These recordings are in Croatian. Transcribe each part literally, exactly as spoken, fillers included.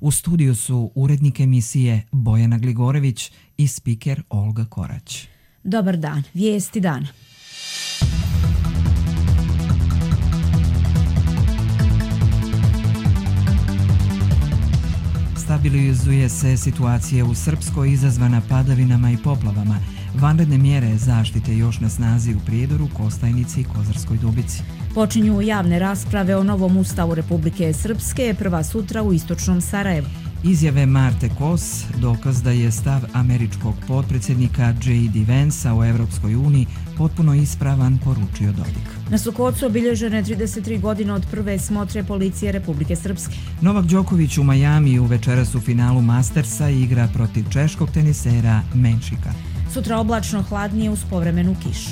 U studiju su urednik emisije Bojana Gligorević i spiker Olga Korać. Dobar dan, vijesti dana. Stabilizuje se situacija u Srpskoj izazvana padavinama i poplavama. Vanredne mjere zaštite još na snazi u Prijedoru, Kostajnici i Kozarskoj Dubici. Počinju javne rasprave o novom ustavu Republike Srpske, prva sutra u istočnom Sarajevu. Izjave Marte Kos, dokaz da je stav američkog potpredsjednika J D Vansa o Evropskoj uniji potpuno ispravan, poručio Dodik. Na Sukocu obilježene trideset tri godine od prve smotre policije Republike Srpske. Novak Đoković u Majamiju večeras u finalu Mastersa igra protiv češkog tenisera Menšika. Sutra oblačno, hladnije uz povremenu kišu.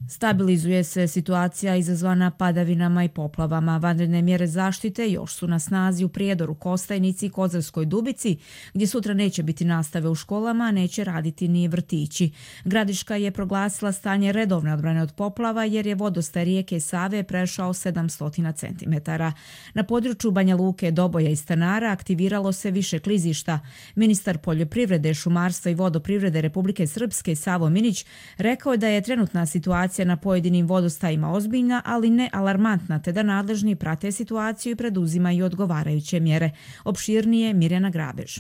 Stabilizuje se situacija izazvana padavinama i poplavama. Vanredne mjere zaštite još su na snazi u Prijedoru, Kostajnici i Kozarskoj Dubici, gdje sutra neće biti nastave u školama, a neće raditi ni vrtići. Gradiška je proglasila stanje redovne odbrane od poplava jer je vodostaj rijeke Save prešao sedamsto centimetara. Na području Banja Luke, Doboja i Stanara aktiviralo se više klizišta. Ministar poljoprivrede, šumarstva i vodoprivrede Republike Srpske Savo Minić rekao je da je trenutna situacija na pojedinim vodostajima ozbiljna, ali ne alarmantna, te da nadležni prate situaciju i preduzimaju odgovarajuće mjere. Opširnije Mirjana Grabež.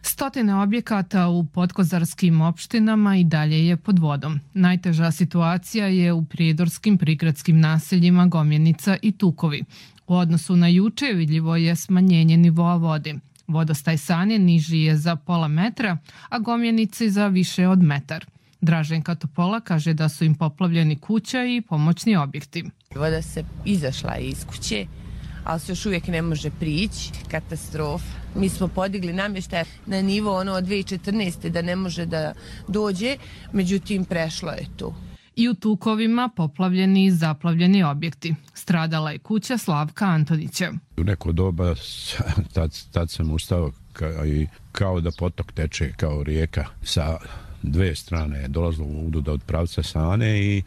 Stotine objekata u podkozarskim opštinama i dalje je pod vodom. Najteža situacija je u prijedorskim prigradskim naseljima Gomjenica i Tukovi. U odnosu na juče vidljivo je smanjenje nivoa vode. Vodostaj Sane niži je za pola metra, a Gomjenici za više od metar. Draženka Topola kaže da su im poplavljeni kuća i pomoćni objekti. Voda se izašla iz kuće, ali se još uvijek ne može prići. Katastrofa. Mi smo podigli namještaj na nivo ono od dvije tisuće četrnaeste. da ne može da dođe, međutim prešlo je to. I u Tukovima poplavljeni i zaplavljeni objekti. Stradala je kuća Slavka Antonića. U neko doba tad, tad sam ustao ka, i kao da potok teče kao rijeka sa dve strane je dolazilo voda od pravca Sane i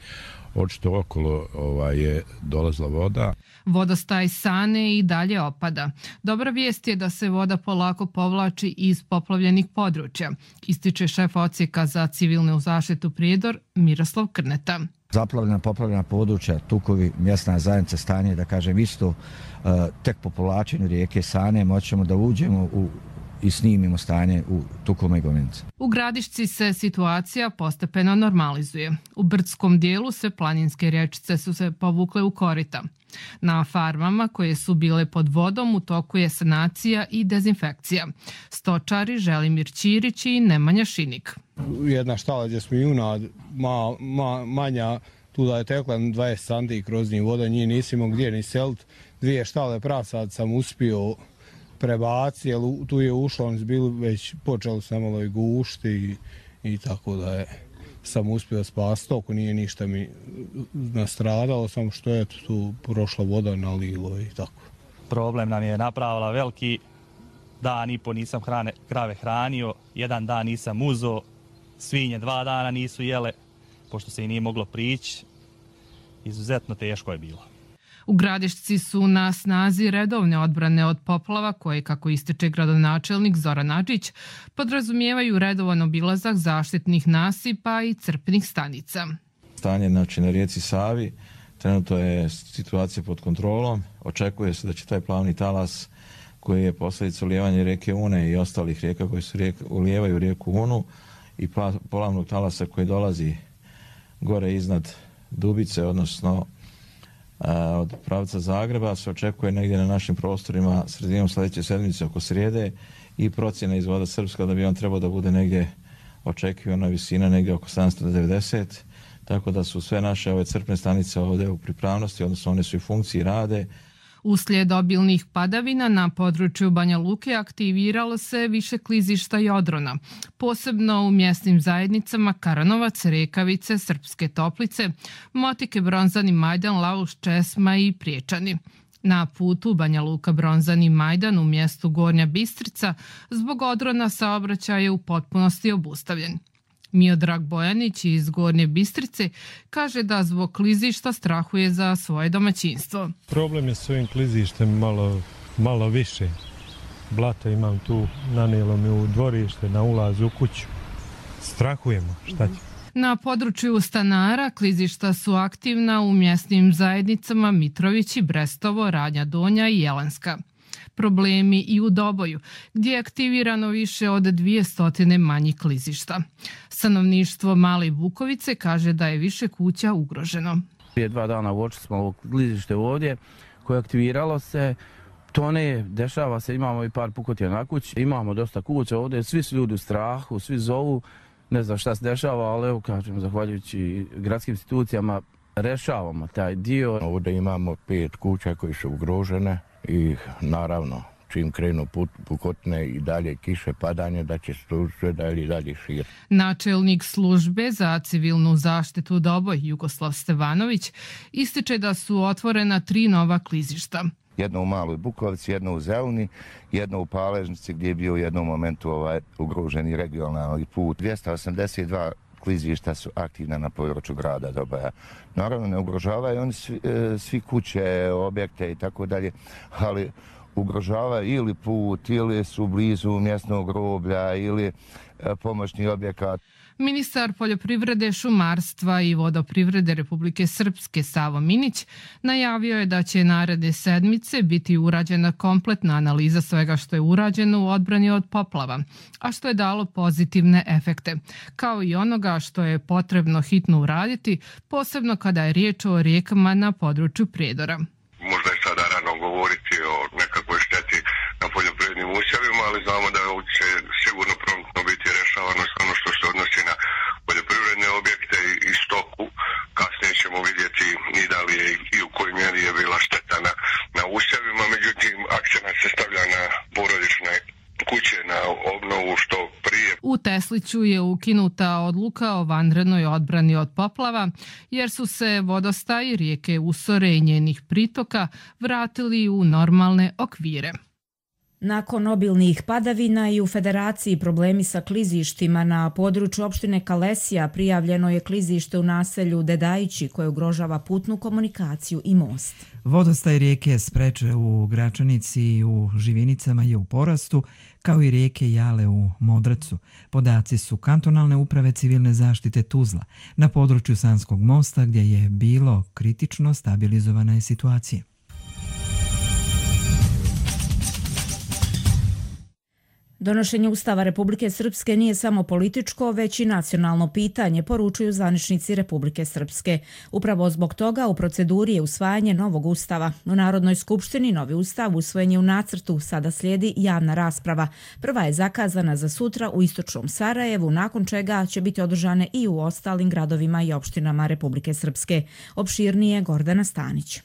očito okolo ovaj, je dolazila voda. Vodostaj Sane i dalje opada. Dobra vijest je da se voda polako povlači iz poplavljenih područja, ističe šef odsjeka za civilnu zaštitu Prijedor Miroslav Krneta. Zaplavljena, poplavljena područja, Tukovi, mjesna zajednica stanje, da kažem isto, tek po povlačenju rijeke Sane moćemo da uđemo u i snimimo stanje u Tukovima i Gomjenici. U Gradišci se situacija postepeno normalizuje. U brdskom dijelu se planinske rječice su se povukle u korita. Na farmama koje su bile pod vodom u toku je sanacija i dezinfekcija. Stočari Želimir Ćirić i Nemanja Šinik. Jedna štala gdje smo junad ma, ma, manja, tu da je tekla dvadeset santi kroz njih voda, njih nisimo gdje ni selit. Dvije štale prasad sam uspio prebaci, jer tu je ušlo, oni su bili već počeli se malo i gušti i, i tako da je sam uspio spasti toku, nije ništa mi nastradalo, samo što je tu prošla voda na lilo i tako. Problem nam je napravila veliki, dan i po nisam hrane, krave hranio, jedan dan nisam uzo, svinje dva dana nisu jele, pošto se i nije moglo prići, izuzetno teško je bilo. U Gradišci su na snazi redovne odbrane od poplava koje, kako ističe gradonačelnik Zoran Adžić, podrazumijevaju redovan obilazak zaštitnih nasipa i crpnih stanica. Stanje znači, na rijeci Savi, trenutno je situacija pod kontrolom. Očekuje se da će taj plavni talas koji je posljedica ulijevanja rijeke Une i ostalih rijeka koji su rijeka, ulijevaju rijeku Unu i polavnog talasa koji dolazi gore iznad Dubice, odnosno od pravca Zagreba, se očekuje negdje na našim prostorima sredinom sljedeće sedmice oko srijede i procjena iz Voda Srpska da bi on trebao da bude negdje očekivana visina negdje oko sedamsto devedeset, tako da su sve naše ove crpne stanice ovdje u pripravnosti, odnosno one su i funkciji rade. Uslijed obilnih padavina na području Banja Luke aktiviralo se više klizišta i odrona, posebno u mjesnim zajednicama Karanovac, Rekavice, Srpske Toplice, Motike, Bronzani, Majdan, Lauš, Česma i Priječani. Na putu Banja Luka, Bronzani, Majdan u mjestu Gornja Bistrica zbog odrona saobraćaj je u potpunosti obustavljen. Miodrag Bojanić iz Gornje Bistrice kaže da zbog klizišta strahuje za svoje domaćinstvo. Problem je s ovim klizištem malo, malo više. Blata imam tu, nanijelo mi u dvorište, na ulaz u kuću. Strahujemo, šta će? Na području stanara klizišta su aktivna u mjesnim zajednicama Mitrovići, Brestovo, Radnja Donja i Jelenska. Problemi i u Doboju, gdje je aktivirano više od dvije manjih klizišta. Stanovništvo Male Bukovice kaže da je više kuća ugroženo. Prije dva dana uočili smo ovo klizište ovdje koje aktiviralo se. Tone, dešava se, imamo i par pukotija na kući, imamo dosta kuća ovdje, svi su ljudi u strahu, svi zovu, ne znam šta se dešava, ali evo kažem, zahvaljujući gradskim institucijama, rešavamo taj dio. Ovdje imamo pet kuća koji su ugrožene i naravno čim krenu put, pukotne i dalje kiše, padanje, da će se to sve dalje i dalje širiti. Načelnik službe za civilnu zaštitu Doboj, Jugoslav Stevanović, ističe da su otvorena tri nova klizišta. Jedno u Maloj Bukovici, jedno u Zelni, jedno u Paležnici gdje je bio u jednom momentu ovaj ugroženi regionalni put. dvjesto osamdeset dva klizišta su aktivna na području grada Doboja. Naravno ne ugrožavaju oni svi, svi kuće, objekte i tako dalje, ali ugrožavaju ili put, ili su blizu mjesnog groblja, ili pomoćni objekat. Ministar poljoprivrede, šumarstva i vodoprivrede Republike Srpske Savo Minić najavio je da će naredne sedmice biti urađena kompletna analiza svega što je urađeno u odbrani od poplava, a što je dalo pozitivne efekte, kao i onoga što je potrebno hitno uraditi, posebno kada je riječ o rijekama na području Prijedora. Možda je sada rano govoriti o nekakvoj šteti na poljoprivrednim usjevima, ali znamo da će sigurno promptno biti rešavano sve ono što se odnosi na poljoprivredne objekte i stoku. Kasnije ćemo vidjeti i da li je i u kojoj mjeri je bila šteta na, na usjevima, međutim akcenat se stavlja na porodične kuće, na obnovu što prije. U Tesliću je ukinuta odluka o vanrednoj odbrani od poplava, jer su se vodostaji rijeke Usore i njenih pritoka vratili u normalne okvire. Nakon obilnih padavina i u Federaciji problemi sa klizištima na području opštine Kalesija prijavljeno je klizište u naselju Dedajići koje ugrožava putnu komunikaciju i most. Vodostaj rijeke Spreče u Gračanici i u Živinicama je u porastu, kao i rijeke Jale u Modracu. Podaci su kantonalne uprave civilne zaštite Tuzla na području Sanskog mosta gdje je bilo kritično stabilizovana je situacija. Donošenje Ustava Republike Srpske nije samo političko, već i nacionalno pitanje, poručuju zvaničnici Republike Srpske. Upravo zbog toga u proceduri je usvajanje novog ustava. U Narodnoj skupštini novi ustav usvojen je u nacrtu, sada slijedi javna rasprava. Prva je zakazana za sutra u istočnom Sarajevu, nakon čega će biti održane i u ostalim gradovima i opštinama Republike Srpske. Opširnije Gordana Stanić.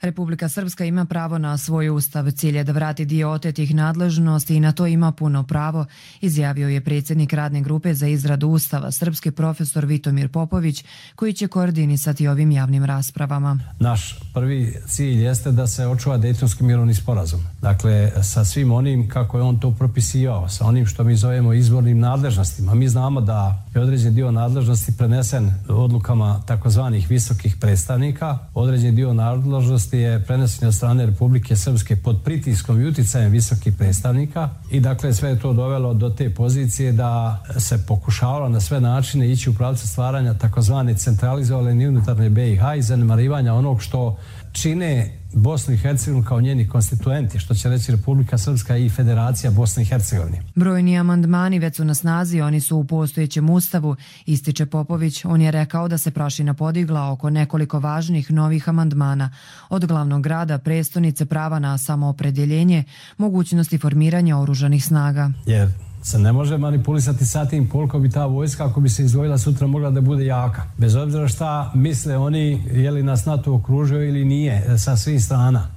Republika Srpska ima pravo na svoj ustav. Cilj je da vrati dio otetih nadležnosti i na to ima puno pravo, izjavio je predsjednik radne grupe za izradu ustava, srpski profesor Vitomir Popović, koji će koordinisati ovim javnim raspravama. Naš prvi cilj jeste da se očuva Dejtonski mirovni sporazum. Dakle, sa svim onim kako je on to propisivao, sa onim što mi zovemo izvornim nadležnostima. Mi znamo da je određen dio nadležnosti prenesen odlukama takozvanih visokih predstavnika, određen dio nadležnosti je prenesen od strane Republike Srpske pod pritiskom i uticajem visokih predstavnika i dakle sve je to dovelo do te pozicije da se pokušavalo na sve načine ići u pravcu stvaranja takozvane centralizovane unutarnje B i H i zanemarivanja onog što čine Bosnu i Hercegovinu kao njeni konstituenti, što će reći Republika Srpska i Federacija Bosne i Hercegovine. Brojni amandmani već su na snazi, oni su u postojećem ustavu, ističe Popović. On je rekao da se prašina podigla oko nekoliko važnih novih amandmana, od glavnog grada, prestonice, prava na samoopredjeljenje, mogućnosti formiranja oružanih snaga. Jer se ne može manipulisati sa tim koliko bi ta vojska, ako bi se izdvojila sutra, mogla da bude jaka. Bez obzira šta misle oni, je li nas NATO okružio ili nije, sa svih strana.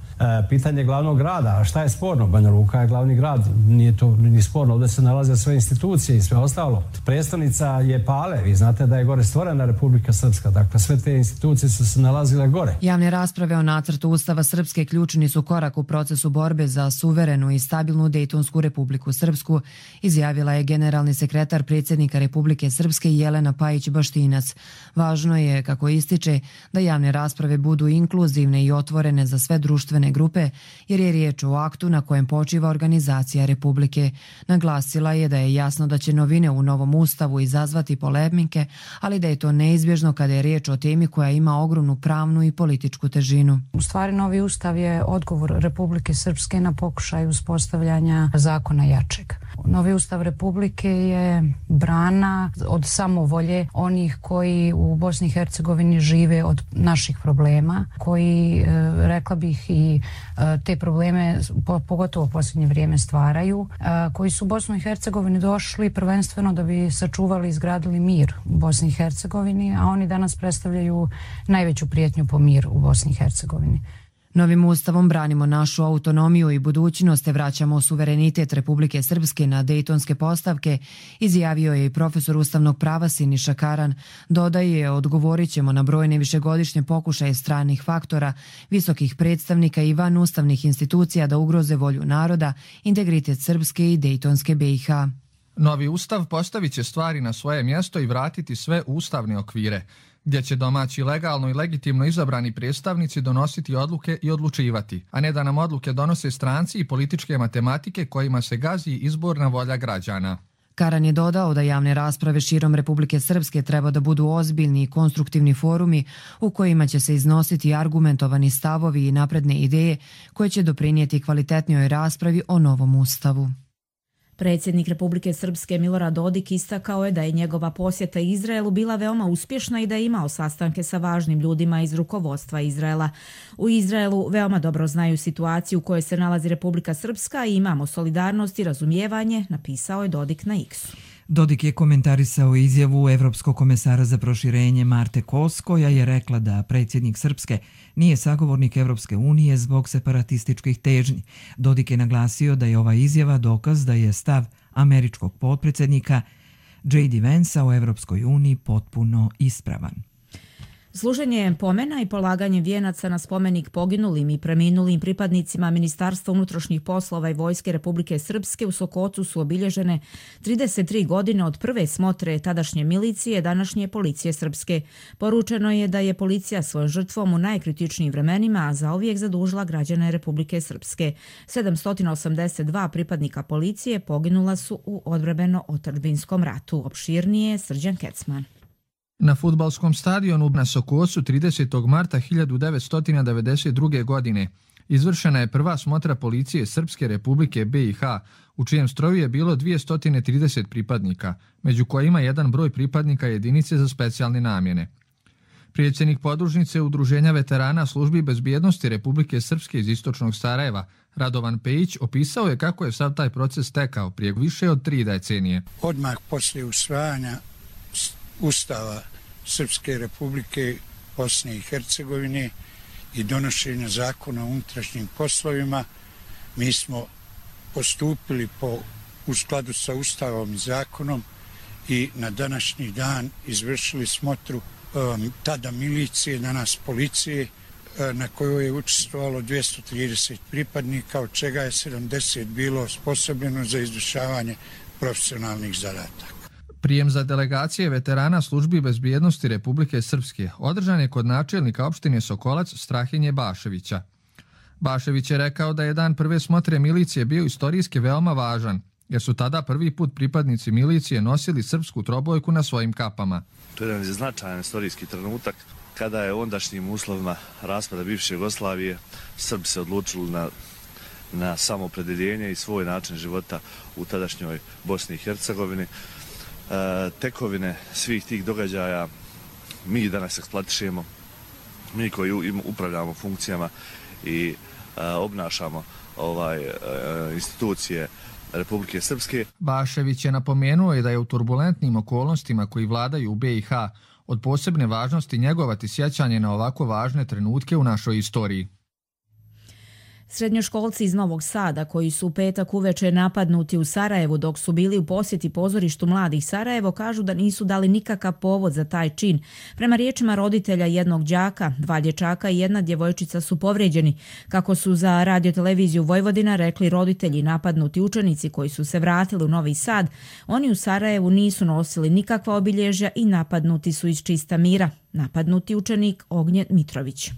Pitanje glavnog grada, a šta je sporno? Banja Luka je glavni grad, nije to ni sporno, ovdje se nalaze sve institucije i sve ostalo. Prestonica je Pale, vi znate da je gore stvorena Republika Srpska, dakle sve te institucije su se nalazile gore. Javne rasprave o nacrtu Ustava Srpske ključni su korak u procesu borbe za suverenu i stabilnu Dejtonsku Republiku Srpsku, izjavila je generalni sekretar predsjednika Republike Srpske Jelena Pajić-Baštinac. Važno je, kako ističe, da javne rasprave budu inkluzivne i otvorene za sve društvene grupe, jer je riječ o aktu na kojem počiva organizacija Republike. Naglasila je da je jasno da će novine u novom ustavu izazvati polemike, ali da je to neizbježno kada je riječ o temi koja ima ogromnu pravnu i političku težinu. U stvari, novi ustav je odgovor Republike Srpske na pokušaj uspostavljanja zakona jačeg. Novi ustav Republike je brana od samovolje onih koji u Bosni i Hercegovini žive od naših problema, koji, rekla bih, i te probleme pogotovo u posljednje vrijeme stvaraju, koji su u Bosnu i Hercegovini došli prvenstveno da bi sačuvali i izgradili mir u Bosni i Hercegovini, a oni danas predstavljaju najveću prijetnju po mir u Bosni i Hercegovini. Novim ustavom branimo našu autonomiju i budućnost te vraćamo suverenitet Republike Srpske na dejtonske postavke, izjavio je i profesor ustavnog prava Siniša Karan. Dodaje, odgovorit ćemo na brojne višegodišnje pokušaje stranih faktora, visokih predstavnika i van ustavnih institucija da ugroze volju naroda, integritet Srpske i dejtonske B i H. Novi ustav postavit će stvari na svoje mjesto i vratiti sve u ustavne okvire, gdje će domaći legalno i legitimno izabrani predstavnici donositi odluke i odlučivati, a ne da nam odluke donose stranci i političke matematike kojima se gazi izborna volja građana. Karan je dodao da javne rasprave širom Republike Srpske treba da budu ozbiljni i konstruktivni forumi u kojima će se iznositi argumentovani stavovi i napredne ideje koje će doprinijeti kvalitetnijoj raspravi o novom ustavu. Predsjednik Republike Srpske Milorad Dodik istakao je da je njegova posjeta Izraelu bila veoma uspješna i da je imao sastanke sa važnim ljudima iz rukovodstva Izraela. U Izraelu veoma dobro znaju situaciju u kojoj se nalazi Republika Srpska i imamo solidarnost i razumijevanje, napisao je Dodik na X-u. Dodik je komentarisao izjavu Evropskog komesara za proširenje Marte Kos, koja je rekla da predsjednik Srpske nije sagovornik Evropske unije zbog separatističkih težnji. Dodik je naglasio da je ova izjava dokaz da je stav američkog potpredsjednika J D Vansa o Evropskoj uniji potpuno ispravan. Služenje pomena i polaganje vijenaca na spomenik poginulim i preminulim pripadnicima Ministarstva unutrašnjih poslova i Vojske Republike Srpske u Sokocu su obilježene trideset tri godine od prve smotre tadašnje milicije, današnje policije Srpske. Poručeno je da je policija svojom žrtvom u najkritičnijim vremenima zauvijek zadužila građane Republike Srpske. sedamsto osamdeset dva pripadnika policije poginula su u odbrambeno-otadžbinskom ratu. Opširnije Srđan Kecman. Na fudbalskom stadionu na Sokocu tridesetog marta hiljadu devetsto devedeset druge. godine izvršena je prva smotra policije Srpske Republike B i H, u čijem stroju je bilo dvjesto trideset pripadnika, među kojima jedan broj pripadnika jedinice za specijalne namjene. Predsjednik podružnice Udruženja veterana službi bezbjednosti Republike Srpske iz istočnog Sarajeva, Radovan Pejić, opisao je kako je sav taj proces tekao prije više od tri decenije. Odmah poslije usvajanja Ustava Srpske Republike Bosne i Hercegovine i donošenja zakona o unutrašnjim poslovima, mi smo postupili po, u skladu sa Ustavom i zakonom i na današnji dan izvršili smotru um, tada milicije, danas policije, na kojoj je učestvovalo dvjesto trideset pripadnika, od čega je sedamdeset bilo osposobljeno za izvršavanje profesionalnih zadataka. Prijem za delegacije veterana službi bezbjednosti Republike Srpske održan je kod načelnika opštine Sokolac Strahinje Baševića. Bašević je rekao da je dan prve smotre milicije bio istorijski veoma važan, jer su tada prvi put pripadnici milicije nosili srpsku trobojku na svojim kapama. To je jedan značajan istorijski trenutak kada je u ondašnjim uslovima raspada bivše Jugoslavije Srbi se odlučili na, na samoopredjeljenje i svoj način života u tadašnjoj Bosni i Hercegovini. E, tekovine svih tih događaja mi danas eksploatišemo, mi koji upravljamo funkcijama i e, obnašamo ovaj, e, institucije Republike Srpske. Bašević je napomenuo i da je u turbulentnim okolnostima koji vladaju u B i H od posebne važnosti njegovati sjećanje na ovako važne trenutke u našoj istoriji. Srednjoškolci iz Novog Sada, koji su u petak uveče napadnuti u Sarajevu dok su bili u posjeti pozorištu Mladih Sarajevo, kažu da nisu dali nikakav povod za taj čin. Prema riječima roditelja jednog đaka, dva dječaka i jedna djevojčica su povrijeđeni. Kako su za radioteleviziju Vojvodina rekli roditelji napadnuti učenici koji su se vratili u Novi Sad, oni u Sarajevu nisu nosili nikakva obilježja i napadnuti su iz čista mira. Napadnuti učenik Ognjen Mitrović.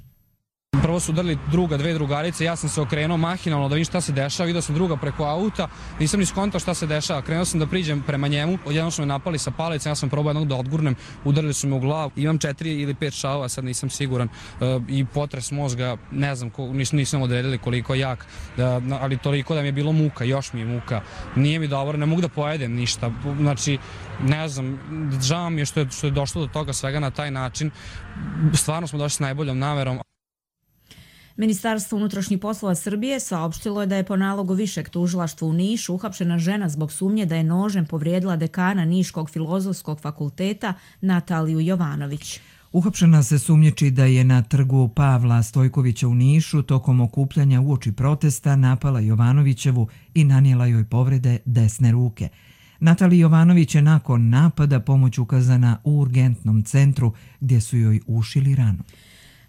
Prvo su udarili druga, dve drugarice, ja sam se okrenuo mahinalno da vidim šta se dešava, vidio sam druga preko auta, nisam ni skontao šta se dešava, krenuo sam da priđem prema njemu, odjednom su me napali sa palicom, ja sam probao jednog da odgurnem, udarili su me u glavu, imam četiri ili pet šavova, sad nisam siguran, e, i potres mozga, ne znam, ko, nis, nisam odredili koliko jak, da, ali toliko da mi je bilo muka, još mi je muka, nije mi dobro, ne mogu da pojedem ništa, znači, ne znam, žao mi je što je, što je došlo do toga svega na taj način, stvarno smo došli s najboljom namerom. Ministarstvo unutrašnjih poslova Srbije saopštilo je da je po nalogu Višeg tužilaštva u Nišu uhapšena žena zbog sumnje da je nožem povrijedila dekana Niškog filozofskog fakulteta Nataliju Jovanović. Uhapšena se sumnjiči da je na trgu Pavla Stojkovića u Nišu tokom okupljanja uoči protesta napala Jovanovićevu i nanijela joj povrede desne ruke. Natalija Jovanović je nakon napada pomoć ukazana u urgentnom centru gdje su joj ušili ranu.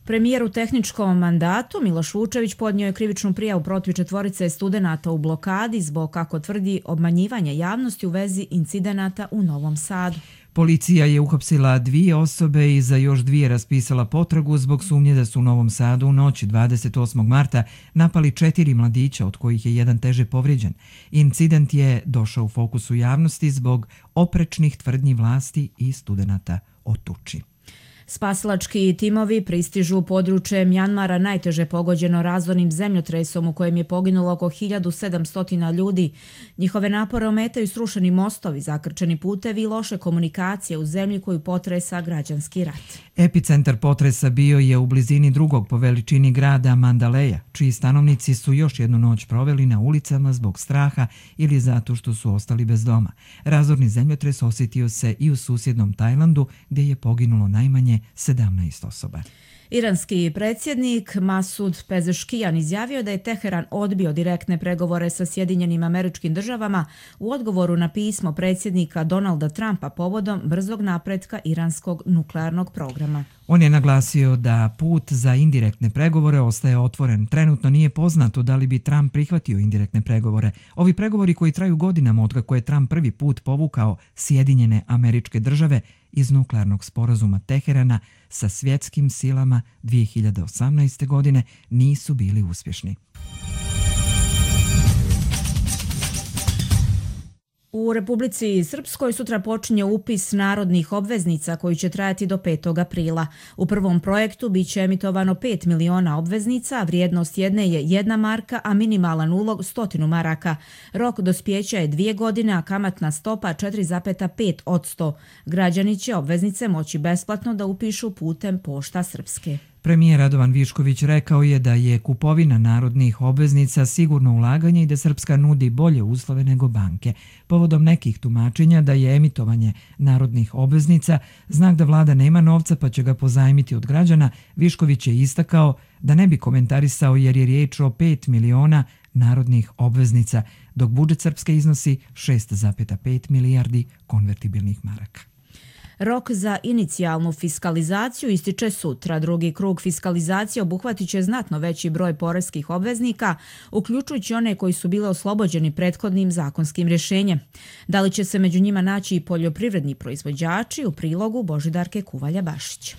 Premijer u tehničkom mandatu Miloš Vučević podnio je krivičnu prijavu protiv četvorice studenata u blokadi zbog, kako tvrdi, obmanjivanja javnosti u vezi incidenata u Novom Sadu. Policija je uhapsila dvije osobe i za još dvije raspisala potragu zbog sumnje da su u Novom Sadu u noći dvadeset osmog marta napali četiri mladića, od kojih je jedan teže povrijeđen. Incident je došao u fokusu javnosti zbog oprečnih tvrdnji vlasti i studenata o tuči. Spasilački timovi pristižu u područje Mjanmara, najteže pogođeno razornim zemljotresom u kojem je poginulo oko hiljadu sedamsto ljudi. Njihove napore ometaju srušeni mostovi, zakrčeni putevi i loše komunikacije u zemlji koju potresa građanski rat. Epicentar potresa bio je u blizini drugog po veličini grada Mandaleja, čiji stanovnici su još jednu noć proveli na ulicama zbog straha ili zato što su ostali bez doma. Razorni zemljotres osjetio se i u susjednom Tajlandu, gdje je poginulo najmanje sedamnaest osoba. Iranski predsjednik Masud Pezeškijan izjavio da je Teheran odbio direktne pregovore sa Sjedinjenim Američkim Državama u odgovoru na pismo predsjednika Donalda Trumpa povodom brzog napretka iranskog nuklearnog programa. On je naglasio da put za indirektne pregovore ostaje otvoren. Trenutno nije poznato da li bi Trump prihvatio indirektne pregovore. Ovi pregovori koji traju godinama otkako je Trump prvi put povukao Sjedinjene Američke Države iz nuklearnog sporazuma Teherana sa svjetskim silama dvije hiljade osamnaeste. godine nisu bili uspješni. U Republici Srpskoj sutra počinje upis narodnih obveznica koji će trajati do petog aprila. U prvom projektu bit će emitovano pet miliona obveznica, a vrijednost jedne je jedna marka, a minimalan ulog stotinu maraka. Rok dospjeća je dvije godine, a kamatna stopa četiri zarez pet posto. Građani će obveznice moći besplatno da upišu putem Pošta Srpske. Premijer Radovan Višković rekao je da je kupovina narodnih obveznica sigurno ulaganje i da Srpska nudi bolje uslove nego banke. Povodom nekih tumačenja da je emitovanje narodnih obveznica znak da vlada nema novca pa će ga pozajmiti od građana, Višković je istakao da ne bi komentarisao jer je riječ o pet miliona narodnih obveznica, dok budžet Srpske iznosi šest zarez pet milijardi konvertibilnih maraka. Rok za inicijalnu fiskalizaciju ističe sutra. Drugi krug fiskalizacije obuhvatit će znatno veći broj poreskih obveznika, uključujući one koji su bile oslobođeni prethodnim zakonskim rješenjem. Da li će se među njima naći i poljoprivredni proizvođači, u prilogu Božidarke Kuvalja-Bašić.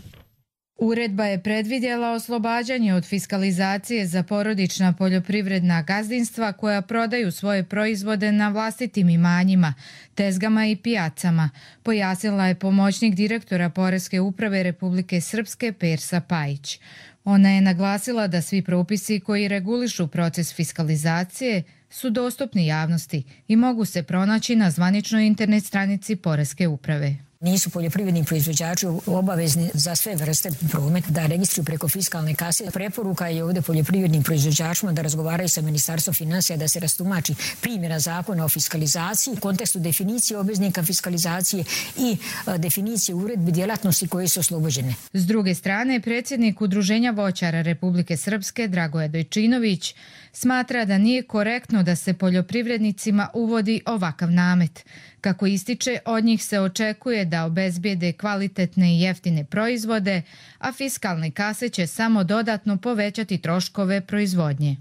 Uredba je predvidjela oslobađanje od fiskalizacije za porodična poljoprivredna gazdinstva koja prodaju svoje proizvode na vlastitim imanjima, tezgama i pijacama, pojasnila je pomoćnik direktora Poreske uprave Republike Srpske Persa Pajić. Ona je naglasila da svi propisi koji regulišu proces fiskalizacije su dostupni javnosti i mogu se pronaći na zvaničnoj internet stranici Poreske uprave. Nisu poljoprivredni proizvođači obavezni za sve vrste prometa da registruju preko fiskalne kase. Preporuka je ovdje poljoprivrednim proizvođačima da razgovaraju sa Ministarstvom financija da se rastumači primjena zakona o fiskalizaciji u kontekstu definicije obveznika fiskalizacije i definicije uredbi djelatnosti koje su oslobođene. S druge strane, predsjednik Udruženja voćara Republike Srpske Dragoje Dojčinović Smatra da nije korektno da se poljoprivrednicima uvodi ovakav namet. Kako ističe, od njih se očekuje da obezbijede kvalitetne i jeftine proizvode, a fiskalne kase će samo dodatno povećati troškove proizvodnje.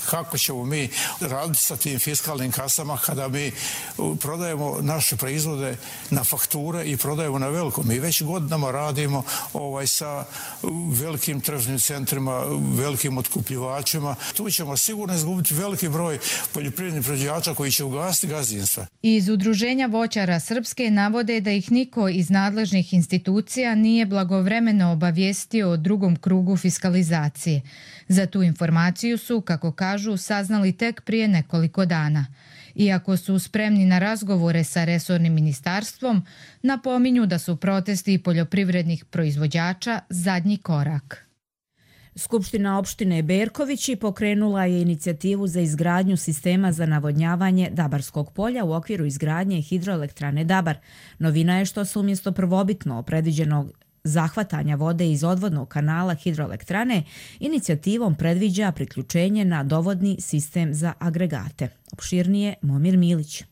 Kako ćemo mi raditi sa tim fiskalnim kasama kada mi prodajemo naše proizvode na fakture i prodajemo na veliko? Mi već godinama radimo ovaj, sa velikim tržnim centrima, velikim otkupljivačima. Tu ćemo sigurno izgubiti veliki broj poljoprivrednih proizvođača koji će ugasiti gazdinstva. Iz Udruženja voćara Srpske navode da ih niko iz nadležnih institucija nije blagovremeno obavijestio o drugom krugu fiskalizacije. Za tu informaciju su, kako kažu, saznali tek prije nekoliko dana. Iako su spremni na razgovore sa resornim ministarstvom, napominju da su protesti poljoprivrednih proizvođača zadnji korak. Skupština opštine Berkovići pokrenula je inicijativu za izgradnju sistema za navodnjavanje Dabarskog polja u okviru izgradnje hidroelektrane Dabar. Novina je što se umjesto prvobitno predviđenog zahvatanja vode iz odvodnog kanala hidroelektrane, inicijativom predviđa priključenje na dovodni sistem za agregate. Opširnije Momir Milić.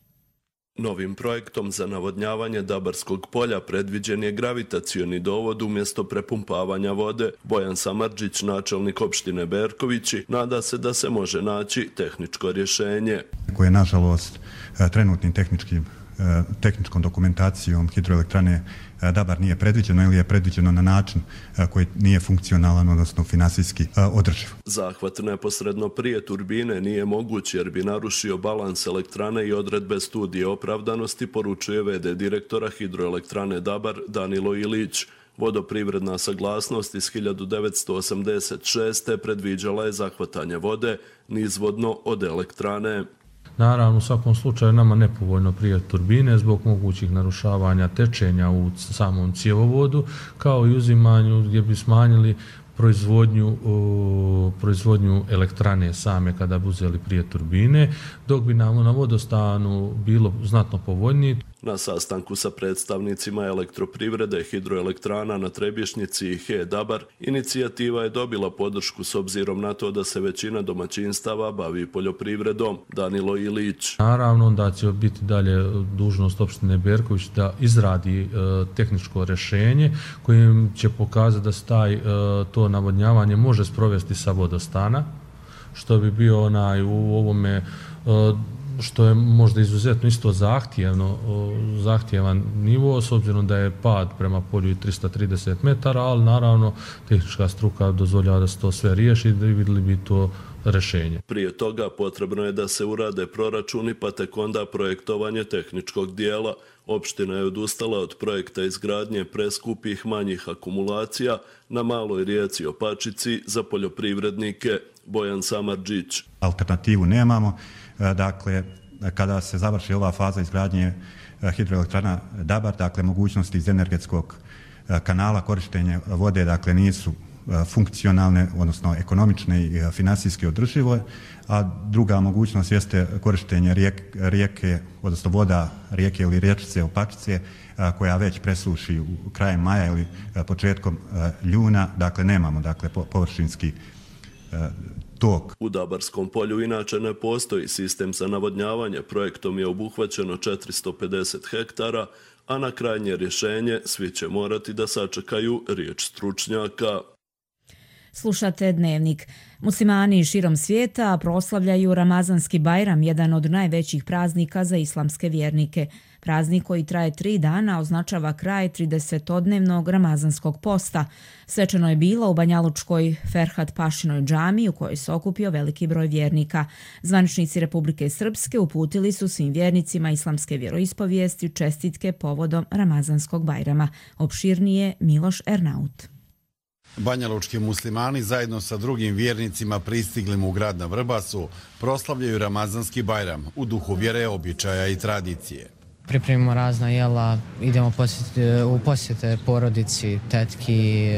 Novim projektom za navodnjavanje Dabarskog polja predviđen je gravitacioni dovod umjesto prepumpavanja vode. Bojan Samardžić, načelnik opštine Berkovići, nada se da se može naći tehničko rješenje. Koje je, nažalost, trenutnim tehničkim tehničkom dokumentacijom hidroelektrane Dabar nije predviđeno ili je predviđeno na način koji nije funkcionalan, odnosno finansijski održiv. Zahvat neposredno prije turbine nije moguć jer bi narušio balans elektrane i odredbe studije opravdanosti, poručuje ve de direktora hidroelektrane Dabar Danilo Ilić. Vodoprivredna saglasnost iz hiljadu devetsto osamdeset šeste. predviđala je zahvatanje vode nizvodno od elektrane. Naravno, u svakom slučaju nama nepovoljno prije turbine zbog mogućih narušavanja tečenja u samom cjevovodu, kao i uzimanju gdje bi smanjili proizvodnju, o, proizvodnju elektrane same kada bi uzeli prije turbine, dok bi nam na vodostanu bilo znatno povoljnije. Na sastanku sa predstavnicima elektroprivrede, hidroelektrana na Trebješnjici i He Dabar, inicijativa je dobila podršku s obzirom na to da se većina domaćinstava bavi poljoprivredom. Danilo Ilić. Naravno, da će biti dalje dužnost opštine Berković da izradi e, tehničko rješenje kojim će pokazati da se taj, e, to navodnjavanje može sprovesti sa vodostana, što bi bio onaj u ovome e, što je možda izuzetno isto zahtjevno, zahtjevan nivo, s obzirom da je pad prema polju tristo trideset metara, ali naravno tehnička struka dozvoljava da se to sve riješi i da vidjeli bi to rješenje. Prije toga potrebno je da se urade proračuni, pa tek onda projektovanje tehničkog dijela. Opština je odustala od projekta izgradnje preskupih manjih akumulacija na maloj rijeci Opačici za poljoprivrednike. Bojan Samardžić. Alternativu nemamo. Dakle, kada se završi ova faza izgradnje hidroelektrana Dabar, dakle, mogućnosti iz energetskog kanala korištenja vode, dakle, nisu funkcionalne, odnosno ekonomične i finansijski održive, a druga mogućnost jeste korištenje rijeke, rijeke odnosno voda rijeke ili riječice Opačice, koja već presuši u krajem maja ili početkom juna, dakle, nemamo, dakle, površinski tok. U Dabarskom polju inače ne postoji sistem za navodnjavanje. Projektom je obuhvaćeno četiristo pedeset hektara, a na krajnje rješenje svi će morati da sačekaju riječ stručnjaka. Slušate Dnevnik. Muslimani širom svijeta proslavljaju Ramazanski Bajram, jedan od najvećih praznika za islamske vjernike. Praznik koji traje tri dana označava kraj tridesetodnevnog ramazanskog posta. Svečano je bilo u Banjalučkoj Ferhat Pašinoj džamiji u kojoj se okupio veliki broj vjernika. Zvaničnici Republike Srpske uputili su svim vjernicima islamske vjeroispovijesti čestitke povodom Ramazanskog Bajrama. Opširnije Miloš Ernaut. Banjalučki muslimani zajedno sa drugim vjernicima pristiglim u grad na Vrbasu proslavljaju Ramazanski Bajram u duhu vjere, običaja i tradicije. Pripremimo razna jela, idemo posjeti, u posjete porodici, tetki,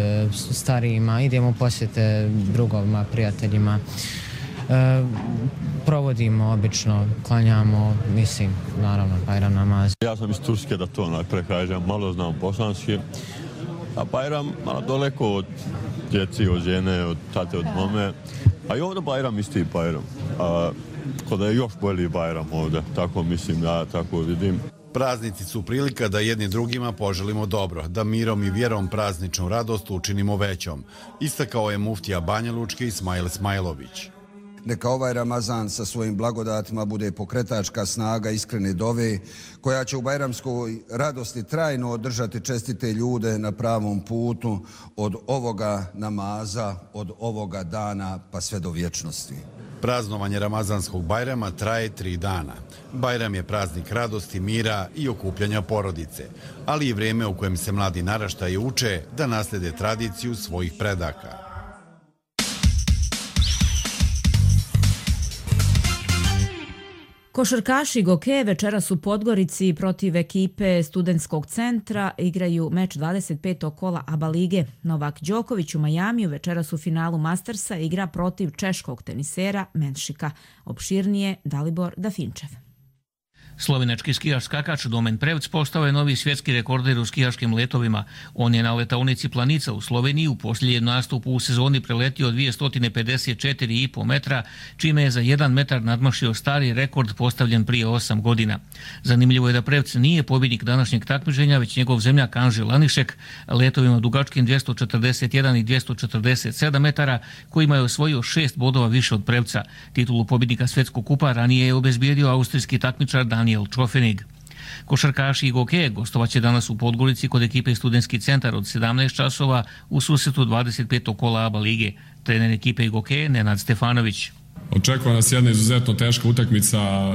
starijima, idemo u posjete drugovima, prijateljima. E, provodimo obično, klanjamo, mislim, naravno, Bajram namaz. Ja sam iz Turske, da to najprej kažem, malo znam bosanski. A Bajram malo daleko od djeci, od žene, od tate, od mame. A i ovdje Bajram isti Bajram. a, kod je još bolji Bajram ovdje, tako mislim, ja tako vidim. Praznici su prilika da jedni drugima poželimo dobro, da mirom i vjerom prazničnu radost učinimo većom, istakao je muftija Banja Lučke Ismail Smajlović. Neka ovaj Ramazan sa svojim blagodatima bude pokretačka snaga iskrene dove, koja će u bajramskoj radosti trajno održati čestite ljude na pravom putu od ovoga namaza, od ovoga dana pa sve do vječnosti. Praznovanje Ramazanskog Bajrama traje tri dana. Bajram je praznik radosti, mira i okupljanja porodice, ali i vrijeme u kojem se mladi naraštaji uče da naslede tradiciju svojih predaka. Košarkaši Goke večeras u Podgorici protiv ekipe Studentskog centra igraju meč dvadeset petog kola ABA lige. Novak Đoković u Majamiju večeras u finalu Mastersa igra protiv češkog tenisera Menšika. Opširnije Dalibor Dafinčev. Slovenački skijaš skakač Domen Prevc postao je novi svjetski rekorder u skijaškim letovima. On je na letaonici Planica u Sloveniji u posljednjem nastupu u sezoni preletio dvjesto pedeset četiri i po metra, čime je za jedan metar nadmašio stari rekord postavljen prije osam godina. Zanimljivo je da Prevc nije pobjednik današnjeg takmičenja, već njegov zemljak Anži Lanišek letovima dugačkim dvjesto četrdeset jedan i dvjesto četrdeset sedam metara, kojima je osvojio šest bodova više od Prevca. Titulu pobjednika svjetskog kupa ranije je obezbijedio austrijski takmičar Daniel Čofenig. Košarkaši Goke gostovaće danas u Podgorici kod ekipe Studentski centar od sedamnaest časova u susretu dvadeset petog kola ABA lige. Trener ekipe Goke Nenad Stefanović. Očekuje nas jedna izuzetno teška utakmica, e,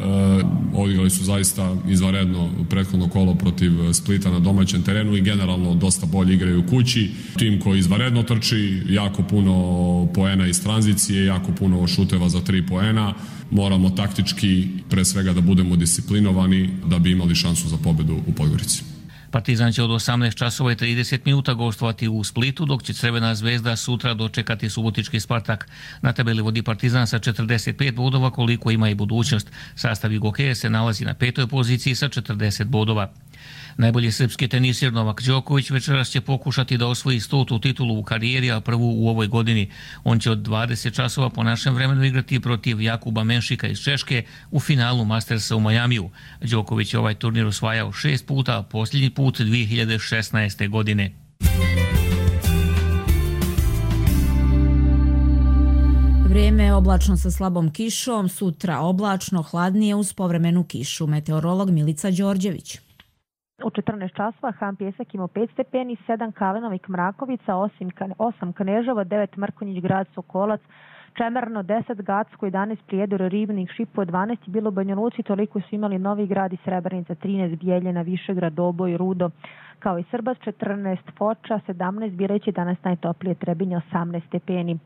odigrali su zaista izvanredno prethodno kolo protiv Splita na domaćem terenu i generalno dosta bolje igraju u kući. Tim koji izvanredno trči, jako puno poena iz tranzicije, jako puno šuteva za tri poena. Moramo taktički pre svega da budemo disciplinovani da bi imali šansu za pobedu u Podgorici. Partizan će od osamnaest časova i trideset minuta gostovati u Splitu, dok će Crvena zvezda sutra dočekati subotički Spartak. Na tabeli vodi Partizan sa četrdeset pet bodova, koliko ima i budućnost. Sastav Gokeje se nalazi na petoj poziciji sa četrdeset bodova. Najbolji srpski tenisir Novak Đoković večeras će pokušati da osvoji stotu titulu u karijeri, a prvu u ovoj godini. On će od dvadeset časova po našem vremenu igrati protiv Jakuba Menšika iz Češke u finalu Mastersa u Majamiju. Đoković je ovaj turnir osvajao šest puta, a posljednji put dvije hiljade šesnaeste. godine. Vrijeme je oblačno sa slabom kišom, sutra oblačno, hladnije uz povremenu kišu. Meteorolog Milica Đorđević. U četrnaest časova Han Pjesak imao pet stepeni, sedam Kalenovik Mrakovica, osam Kneževo, devet Mrkonjić Grad Sokolac, Čemerno, deset Gacko, jedanaest Prijedor, Ribnik, Šipo, dvanaest je bilo u Banja Luci, toliko su imali Novi Grad i Srebrenica, trinaest Bijeljina, Višegrad, Doboj, Rudo, kao i Srbas, četrnaest Foča, sedamnaest Bireći, danas najtoplije Trebinje, osamnaest stepeni.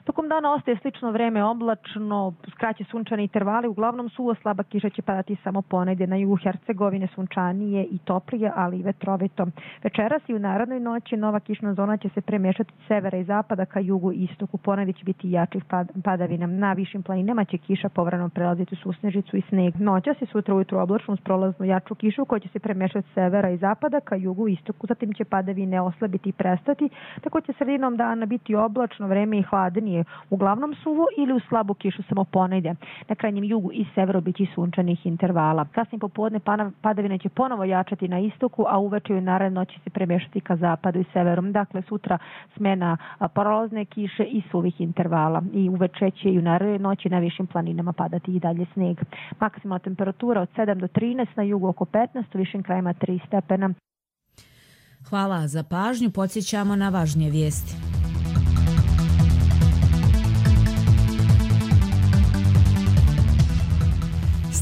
Tokom dana ostaje slično vreme, oblačno, skraće sunčani intervali, uglavnom suvo, slaba kiša će padati samo ponegdje na jugu Hercegovine, sunčanije i toplije, ali i vetrovito. Večeras i u narednoj noći nova kišna zona će se premješati od severa i zapada ka jugu i istoku, ponegdje će biti jačih padavina. Na višim planinama će kiša povremeno prelaziti u susnežicu i sneg. Noćas i sutra ujutro oblačno uz prolaznu jaču kišu koja će se premješati od severa i zapada ka jugu i istoku, zatim će padavine oslabiti i prestati, tako će sredinom dana biti oblačno vreme i hladnije, uglavnom suvo ili u slabu kišu samo ponedje. Na krajnjem jugu i severu biće sunčanih intervala. Kasnije popodne padavine će ponovo jačati na istoku, a uveče i naredne noći se premješati ka zapadu i severom. Dakle, sutra smena prolazne kiše i suvih intervala. I uveče će i u naredne noći na višim planinama padati i dalje sneg. Maksimalna temperatura od sedam do trinaest, na jugu oko petnaest, u višim krajima tri stepena. Hvala za pažnju. Podsjećamo na važnije vijesti.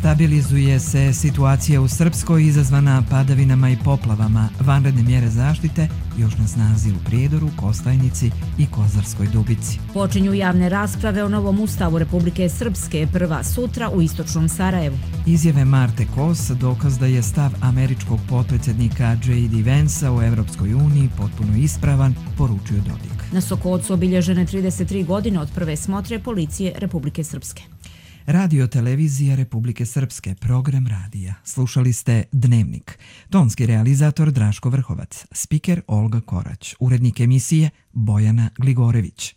Stabilizuje se situacija u Srpskoj izazvana padavinama i poplavama. Vanredne mjere zaštite još na snazi u Prijedoru, Kostajnici i Kozarskoj Dubici. Počinju javne rasprave o novom ustavu Republike Srpske, prva sutra u istočnom Sarajevu. Izjave Marte Kos dokaz da je stav američkog potpredsjednika J D Vansa u Evropskoj uniji potpuno ispravan, poručio Dodik. Na Sokocu obilježene trideset tri godine od prve smotre policije Republike Srpske. Radio televizija Republike Srpske, program radija. Slušali ste Dnevnik. Tonski realizator Draško Vrhovac, spiker Olga Korać, urednik emisije Bojana Gligorević.